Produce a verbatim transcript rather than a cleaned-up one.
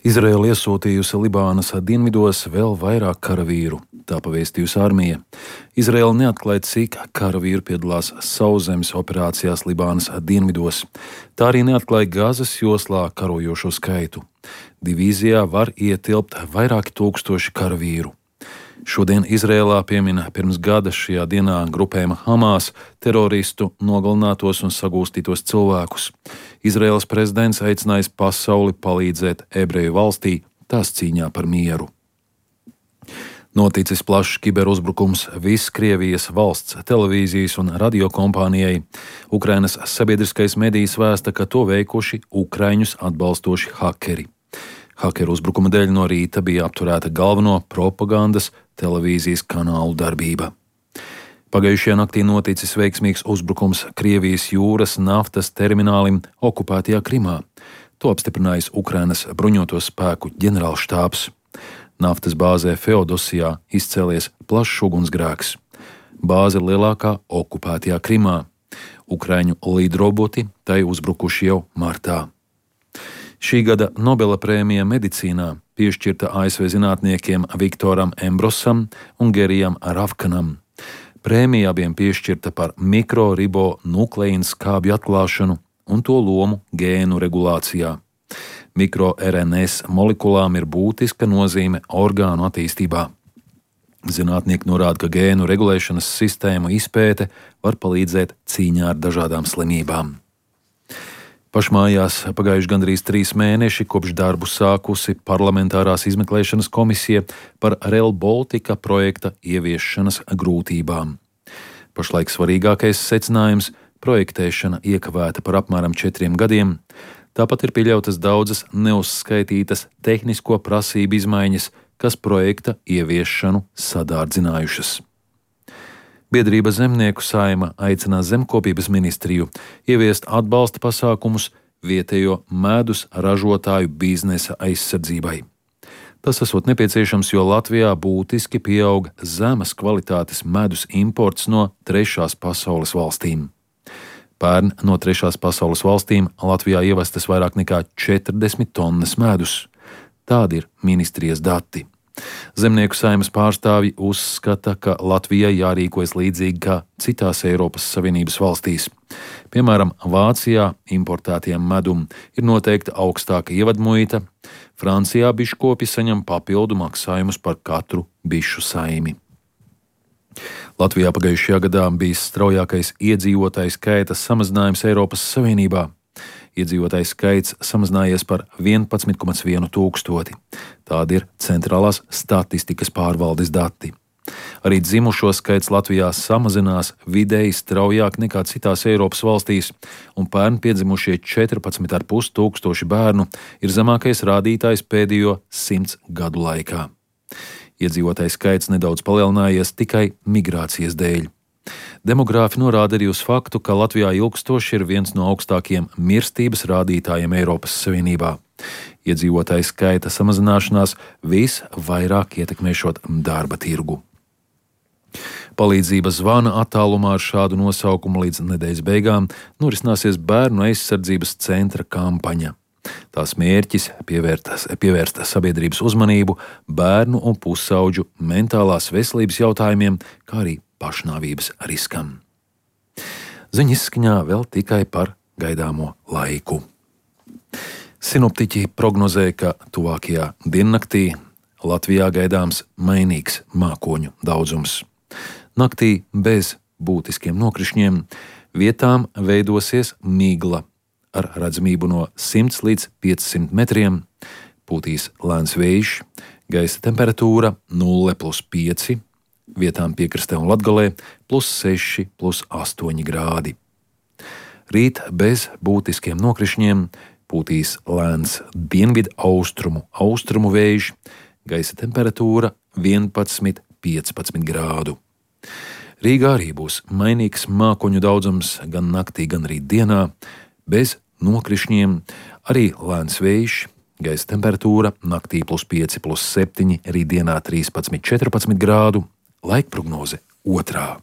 Izraēla iesūtījusi Libānas dienvidos vēl vairāk karavīru, tā pavēstījusi armija. Izraēla neatklāja, cik karavīru piedalās sauszemes operācijās Libānas dienvidos. Tā arī neatklāja Gazas joslā karojošo skaitu. Divīzijā var ietilpt vairāki tūkstoši karavīru. Šodien Izrēlā piemina pirms gada šajā dienā grupējuma Hamas teroristu nogalinātos un sagūstītos cilvēkus. Izraēlas prezidents aicinājis pasauli palīdzēt ebreju valstī tās cīņā par mieru. Noticis plašs kiberuzbrukums Viskrievijas valsts televīzijas un radiokompānijai. Ukrainas sabiedriskais medijs vēsta, ka to veikuši Ukraiņus atbalstoši hakeri. Hakeru uzbrukuma dēļ no rīta bija apturēta galveno propagandas televīzijas kanālu darbība. Pagājušajā naktī noticis veiksmīgs uzbrukums Krievijas jūras naftas terminālim okupētajā Krimā. To apstiprinājis Ukrainas bruņoto spēku ģenerālštābs. Naftas bāzē Feodosijā izcēlies plašs ugunsgrēks. Bāze ir lielākā okupētajā Krimā. Ukraiņu līdroboti tai uzbrukuši jau martā. Šī gada Nobela prēmija medicīnā piešķirta A S V zinātniekiem Viktoram Embrosam un Gerijam Ravkanam. Prēmija abiem piešķirta par mikroribonukleīnu skābju atklāšanu un to lomu gēnu regulācijā. Mikro-R N S molekulām ir būtiska nozīme orgānu attīstībā. Zinātnieki norāda, ka gēnu regulēšanas sistēmu izpēte var palīdzēt cīņā ar dažādām slimībām. Pašmājās pagājuši gandrīz trīs mēneši, kopš darbu sākusi parlamentārās izmeklēšanas komisija par Rail Baltica projekta ieviešanas grūtībām. Pašlaik svarīgākais secinājums – projektēšana iekavēta par apmēram četriem gadiem. Tāpat ir pieļautas daudzas neuzskaitītas tehnisko prasību izmaiņas, kas projekta ieviešanu sadārdzinājušas. Biedrība Zemnieku saima aicina Zemkopības ministriju ieviest atbalsta pasākumus vietējo medus ražotāju biznesa aizsardzībai. Tas esot nepieciešams, jo Latvijā būtiski pieaug zemes kvalitātes medus imports no trešās pasaules valstīm. Pērn no trešās pasaules valstīm Latvijā ievestas vairāk nekā četrdesmit tonnas medus. Tādi ir ministrijas dati. Zemnieku saeimas pārstāvji uzskata, ka Latvijai jārīkojas līdzīgi kā citās Eiropas Savienības valstīs. Piemēram, Vācijā importētiem medum ir noteikta augstāka ievadmuita, Francijā biškopi saņem papildu maksājumus par katru bišu saimi. Latvijā pagājušajā gadā bija straujākais iedzīvotāju skaita samazinājums Eiropas Savienībā. Iedzīvotāju skaits samazinājies par vienpadsmit komats vienu tūkstoti. Tādi ir centrālās statistikas pārvaldes dati. Arī dzimušo skaits Latvijā samazinās vidēji straujāk nekā citās Eiropas valstīs, un pērn piedzimušie četrpadsmit komats pieci tūkstoši bērnu ir zemākais rādītājs pēdējo simts gadu laikā. Iedzīvotāju skaits nedaudz palielinājies tikai migrācijas dēļ. Demogrāfi norāda arī uz faktu, ka Latvijā ilgstoši ir viens no augstākajiem mirstības rādītājiem Eiropas Savienībā. Iedzīvotāju skaita samazināšanās visvairāk ietekmēšot darba tirgu. Palīdzība zvana attālumā ar šādu nosaukumu līdz nedēļas beigām norisināsies Bērnu aizsardzības centra kampaņa. Tās mērķis pievērst sabiedrības uzmanību bērnu un pusauģu mentālās veselības jautājumiem, kā arī pašnāvības riskam. Ziņu izskaņā vēl tikai par gaidāmo laiku. Sinoptiķi prognozē, ka tuvākajā diennaktī Latvijā gaidāms mainīgs mākoņu daudzums. Naktī bez būtiskiem nokrišņiem vietām veidosies migla ar redzamību no simts līdz piecsimt metriem, pūtīs lēns vējš, gaisa temperatūra nulle plus pieci, vietām piekrastē un Latgalē plus seši, plus astoņi grādi. Rīt bez būtiskiem nokrišņiem pūtīs lēns dienvidu austrumu, austrumu vējš, gaisa temperatūra vienpadsmit, piecpadsmit grādu. Rīgā arī būs mainīgs mākoņu daudzums gan naktī, gan arī dienā, bez nokrišņiem, arī lēns vējš, gaisa temperatūra naktī plus pieci, plus septiņi, arī dienā trīspadsmit, četrpadsmit grādu. Laikprognoze otrā.